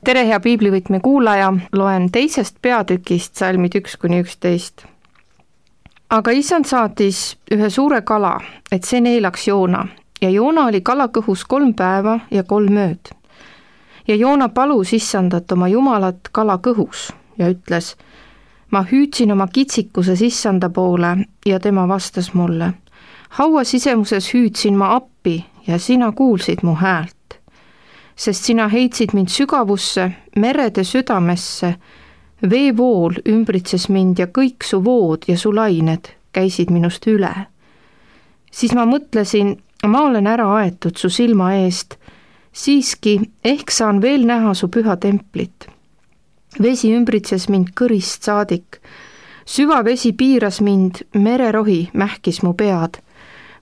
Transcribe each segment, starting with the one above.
tere, hea piiblivõtme kuulaja, loen 2. peatükist salmid 1-11. Aga issand saatis ühe suure kala, et see neelaks Joona ja Joona oli kala kõhus 3 päeva ja 3 ööd. Ja Joona palus issandat oma jumalat kala kõhus ja ütles, ma hüüdsin oma kitsikuses issanda poole ja tema vastas mulle. Haua sisemuses hüüdsin ma appi ja sina kuulsid mu häält. Sest sina heitsid mind sügavusse, merede südamesse, veevool ümbritses mind ja kõik su vood ja su lained käisid minust üle. Siis ma mõtlesin, ma olen ära aetud su silma eest, siiski ehk saan veel näha su püha templit. Vesi ümbritses mind kõrist saadik, süvavesi piiras mind, mererohi mähkis mu pead.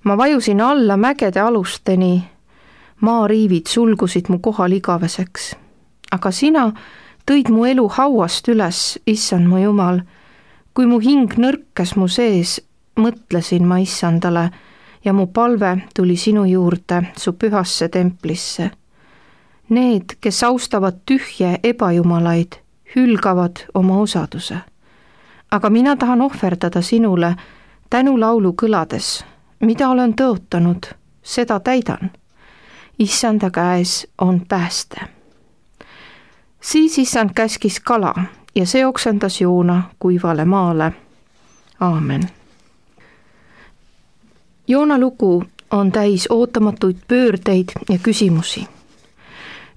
Ma vajusin alla mägede alusteni, maariivid sulgusid mu kohal igaveseks. Aga sina tõid mu elu hauast üles, issand mu jumal. Kui mu hing nõrkas mu sees, mõtlesin ma issandale ja mu palve tuli sinu juurde, su pühasse templisse. Need, kes austavad tühje ebajumalaid, hülgavad oma osaduse. Aga mina tahan ohverdada sinule tänulaulu kõlades, mida olen tõotanud, seda täidan. Issanda käes on pääste. Siis issand käskis kala ja see oksendas Joona kuivale maale. Aamen. Joona lugu on täis ootamatuid pöördeid ja küsimusi.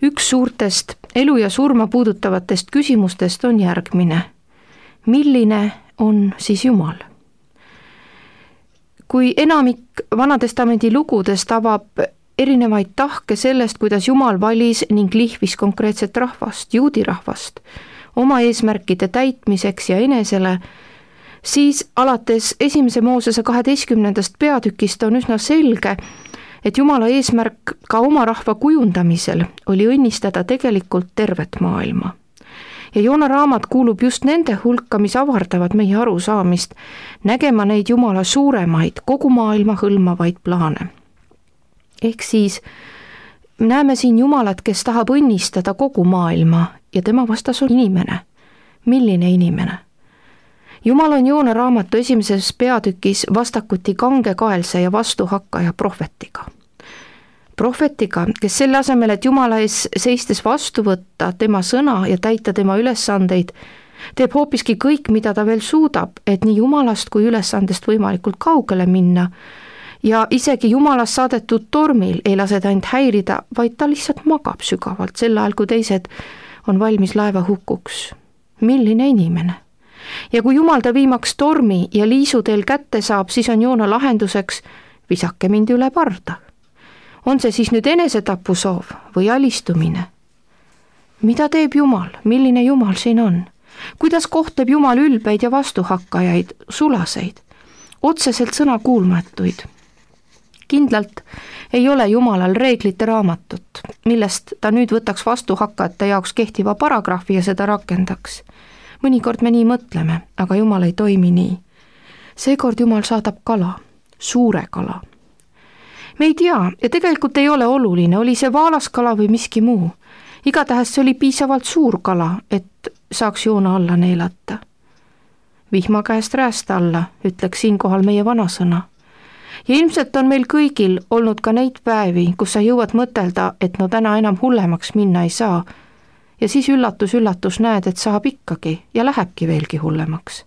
Üks suurtest elu ja surma puudutavatest küsimustest on järgmine. Milline on siis Jumal? Kui enamik Vanatestamendi lugudest avab erinevaid tahke sellest, kuidas Jumal valis ning lihvis konkreetset rahvast, juudi rahvast, oma eesmärkide täitmiseks ja enesele, siis alates 1. Moosese 12. peatükist on üsna selge, et Jumala eesmärk ka oma rahva kujundamisel oli õnnistada tegelikult tervet maailma. Ja Joona raamat kuulub just nende hulka, mis avardavad meie arusaamist, nägema neid Jumala suuremaid, kogu maailma hõlmavaid plaane. Ehk siis näeme siin Jumalat, kes tahab õnnistada kogu maailma ja tema vastas on inimene. Milline inimene? Jumal on Joona raamatu 1. peatükis vastakuti kangekaelse ja vastuhakkaja prohvetiga. Prohvetiga, kes selle asemel, et Jumala ees seistes vastu võtta tema sõna ja täita tema ülesandeid, teeb hoopiski kõik, mida ta veel suudab, et nii Jumalast kui ülesandest võimalikult kaugele minna. Ja isegi Jumalast saadetud tormil ei lase ta end häirida, vaid ta lihtsalt magab sügavalt sel ajal, kui teised on valmis laeva hukuks. Milline inimene? Ja kui Jumal ta viimaks tormi ja liisuteel kätte saab, siis on Joona lahenduseks, visake mind üle parda. On see siis nüüd enesetapusoov või alistumine? Mida teeb Jumal? Milline Jumal siin on? Kuidas kohtleb Jumal ülbeid ja vastuhakkajaid, sulaseid, otseselt sõnakuulmatuid? Kindlalt ei ole Jumalal reeglite raamatut, millest ta nüüd võtaks vastuhakkajate jaoks kehtiva paragrahvi ja seda rakendaks. Mõnikord me nii mõtleme, aga Jumal ei toimi nii. Seekord Jumal saadab kala, suure kala. Me ei tea ja tegelikult ei ole oluline, oli see vaalaskala või miski muu. Igatahes see oli piisavalt suur kala, et saaks Joona alla neelata. Vihma käest rääst alla, ütleks siinkohal meie vanasõna. Ja ilmselt on meil kõigil olnud ka neid päevi, kus sa jõuad mõtelda, et no täna enam hullemaks minna ei saa. Ja siis üllatus näed, et saab ikkagi ja lähebki veelgi hullemaks.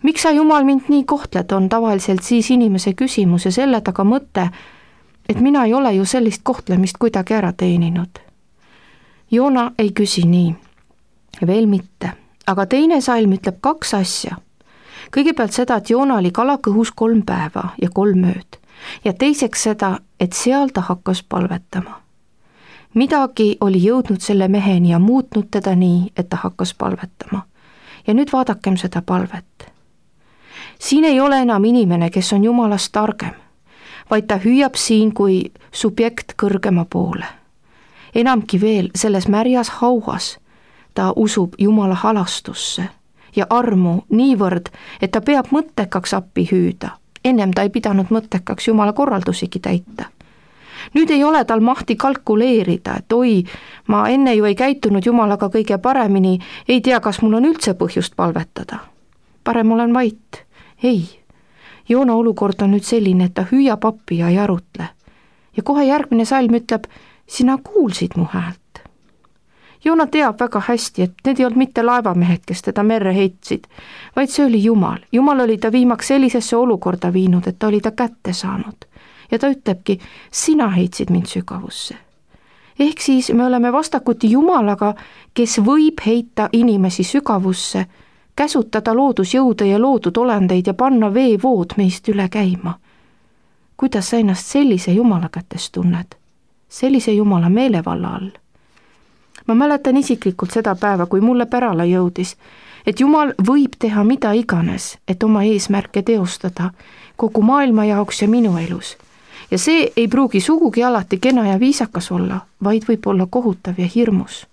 Miks sa Jumal mind nii kohtled, on tavaliselt siis inimese küsimus ja selle taga mõte, et mina ei ole ju sellist kohtlemist kuidagi ära teeninud. Joona ei küsi nii, veel mitte, aga teine salm ütleb 2 asja. Kõigepealt seda, et Joona oli kala kõhus 3 päeva ja 3 ööd ja teiseks seda, et seal ta hakkas palvetama. Midagi oli jõudnud selle meheni ja muutnud teda nii, et ta hakkas palvetama. Ja nüüd vaadakem seda palvet. Siin ei ole enam inimene, kes on Jumalast targem, vaid ta hüüab siin kui subjekt kõrgema poole. Enamki veel, selles märjas hauas ta usub Jumala halastusse ja armu niivõrd, et ta peab mõttekaks appi hüüda. Ennem ta ei pidanud mõttekaks Jumala korraldusigi täita. Nüüd ei ole tal mahti kalkuleerida, et oi, ma enne ju ei käitunud Jumalaga kõige paremini, ei tea, kas mul on üldse põhjust palvetada. Parem olen vait. Ei, Joona olukord on nüüd selline, et ta hüüab appi ja ei arutle. Ja kohe järgmine salm ütleb, sina kuulsid mu häält. Joona teab väga hästi, et need ei olnud mitte laevamehed, kes teda merre heitsid, vaid see oli Jumal. Jumal oli ta viimaks sellisesse olukorda viinud, et ta oli ta kätte saanud. Ja ta ütlebki, sina heitsid mind sügavusse. Ehk siis me oleme vastakuti Jumalaga, kes võib heita inimesi sügavusse, käsutada loodusjõude ja loodud olendeid ja panna veevood meist üle käima. Kuidas sa ennast sellise Jumala kätes tunned? Sellise Jumala meelevalla all? Ma mäletan isiklikult seda päeva, kui mulle pärale jõudis, et Jumal võib teha mida iganes, et oma eesmärke teostada kogu maailma jaoks ja minu elus. Ja see ei pruugi sugugi alati kena ja viisakas olla, vaid võib olla kohutav ja hirmus.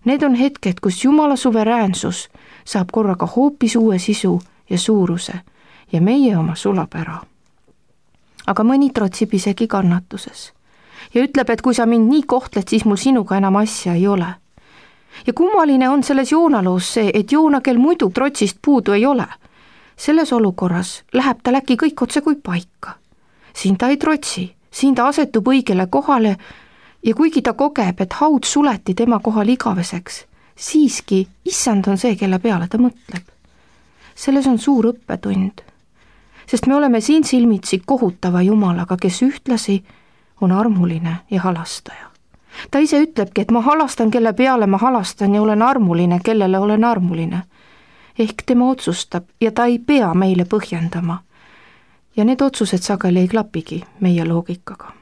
Need on hetked, kus Jumala suveräänsus saab korraga hoopis uue sisu ja suuruse ja meie oma sulab ära. Aga mõni trotsib isegi kannatuses ja ütleb, et kui sa mind nii kohtled, siis mul sinuga enam asja ei ole. Ja kummaline on selles Joona loos see, et Joona, kel muidu trotsist puudu ei ole, selles olukorras läheb tal äkki kõik otse kui paika. Siin ta ei trotsi, siin ta asetub õigele kohale ja kuigi ta kogeb, et haud suleti tema kohal igaveseks, siiski issand on see, kelle peale ta mõtleb. Selles on suur õppetund, sest me oleme siin silmitsi kohutava Jumalaga, kes ühtlasi on armuline ja halastaja. Ta ise ütlebki, et ma halastan, kelle peale ma halastan ja olen armuline, kellele olen armuline. Ehk tema otsustab ja ta ei pea meile põhjendama. Ja need otsused sageli ei klapigi meie loogikaga.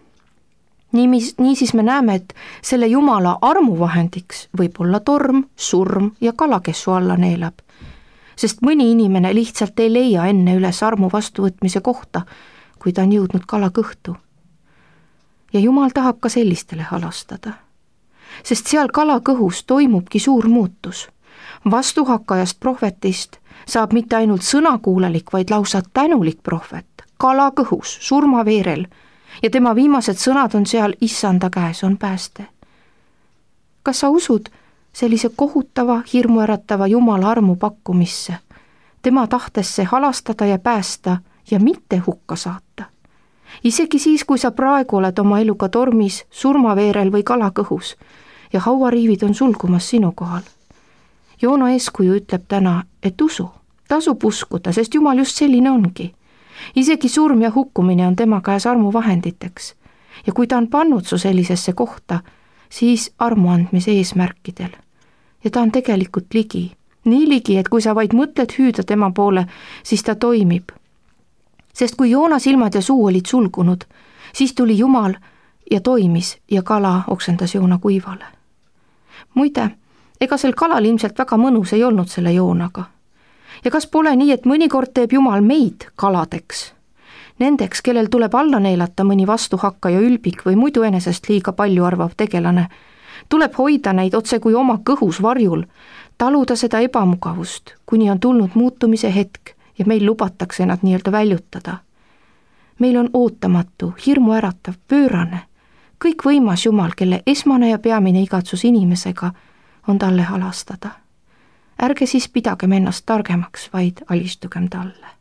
Niisiis me näeme, et selle Jumala armuvahendiks võib olla torm, surm ja kala, kes su alla neelab. Sest mõni inimene lihtsalt ei leia enne üles armu vastuvõtmise kohta, kui ta on jõudnud kala kõhtu. Ja Jumal tahab ka sellistele halastada. Sest seal kala kõhus toimubki suur muutus. Vastuhakkajast prohvetist saab mitte ainult sõnakuulelik, vaid lausa tänulik prohvet. Kala kõhus, surmaveerel ja tema viimased sõnad on seal issanda käes on pääste. Kas sa usud sellise kohutava, hirmuäratava Jumala armu pakkumisse, tema tahtesse halastada ja päästa ja mitte hukka saata? Isegi siis, kui sa praegu oled oma eluga tormis, surmaveerel või kala kõhus ja hauariivid on sulgumas sinu kohal. Joona eeskuju ütleb täna, et usu, tasub uskuda, sest Jumal just selline ongi. Isegi surm ja hukkumine on tema käes armuvahenditeks ja kui ta on pannud su sellisesse kohta, siis armu andmise eesmärkidel. Ja ta on tegelikult ligi, nii ligi, et kui sa vaid mõtled hüüda tema poole, siis ta toimib. Sest kui Joona silmad ja suu olid sulgunud, siis tuli Jumal ja toimis ja kala oksendas Joona kuivale. Muide, ega sel kalal ilmselt väga mõnus ei olnud selle Joonaga. Ja kas pole nii, et mõnikord teeb Jumal meid kaladeks? Nendeks, kellel tuleb alla neelata mõni vastuhakkaja ülbik või muidu enesest liiga palju arvav tegelane, tuleb hoida neid otse kui oma kõhus varjul, taluda seda ebamugavust, kuni on tulnud muutumise hetk ja meil lubatakse nad nii-öelda väljutada. Meil on ootamatu, hirmuäratav, pöörane, kõikvõimas Jumal, kelle esmane ja peamine igatsus inimesega on talle halastada. Ärge siis pidagem ennast targemaks, vaid alistugem talle.